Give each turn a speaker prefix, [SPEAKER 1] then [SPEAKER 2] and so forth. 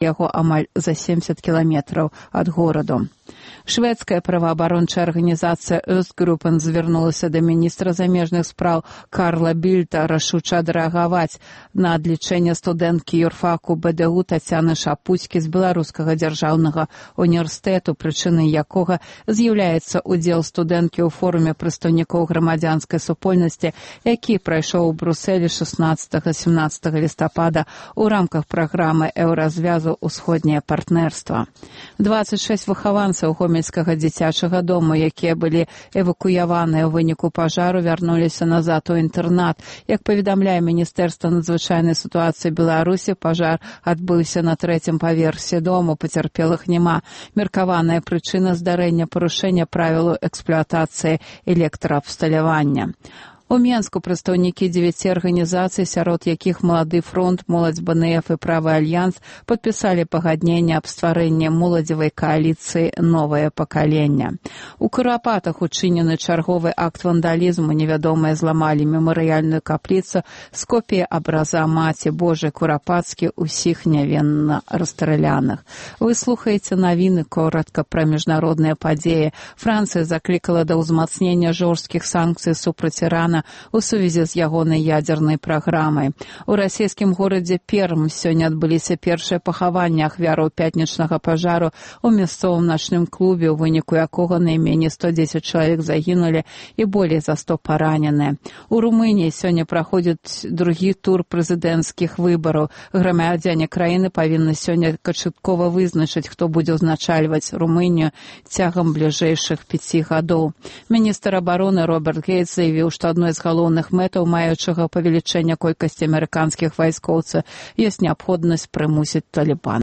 [SPEAKER 1] яго амаль за 70 кіламетраў ад гораду. Шведская праваабарончая арганізацыя Östgruppen звярнулася да міністра замежных спраў Карла Більта рашуча адрэагаваць на адлічэнне студэнткі юрфаку БДУ Тацяны Шапуцькі з Беларускага дзяржаўнага універсітэту, прычынай якога з'яўляецца удзел студэнткі ў форуме прадстаўнікоў грамадзянскай супольнасці, які прайшоў у Брусэлі 16-17 лістапада ў рамках праграмы еўразвязу «Усходняе партнерства». 26 выхаванцаў гомельскага дзіцячага дому, якія былі эвакуяваныя ў выніку пажару, вярнуліся назад у інтэрнат. Як паведамляе Міністэрства надзвычайнай сітуацыі Беларусі, пажар адбыўся на 3-м паверсе дому, пацярпелых няма. Меркаваная прычына здарэння – парушэння правілаў эксплуатацыі электраабсталявання. У Менску прадстаўнікі 9 арганізацый, сярод якіх Малады фронт, Моладзь БНФ і Правы альянс, падпісалі пагадненне аб стварэнні моладзевай кааліцыі «Новае пакаленне». У Курапатах учынены чарговы акт вандалізму. Невядомыя зламалі мемарыяльную капліцу з копіяй абраза Маці Божай Курапацкі, усіх нявінна расстраляных. Вы слухаеце навіны коротка пра міжнародныя падзеі. Францыя заклікала да ўзмацнення жорсткіх санкцый супраць Ірана у сувязі з ягонай ядзернай праграмай. У расійскім горадзе Перм сёння адбыліся першыя пахаванні ахвяраў пятнічнага пажару у мясцовым начным клубе, у выніку якога найменей 110 чалавек загінулі і болей за 100 параненыя. У Румыніі сёння праходзіць другі тур прэзідэнцкіх выбараў. Грамадзяне краіны павінны сёння канчаткова вызначыць, хто будзе ўзначальваць Румынію цягам бліжэйшых 5 гадоў. Міністр абароны Роберт Гейтс заявіў, што адной з галоўных мэтаў маючага павелічэння колькасці амерыканскіх вайскоўцаў ёсць неабходнасць прымусіць Талібан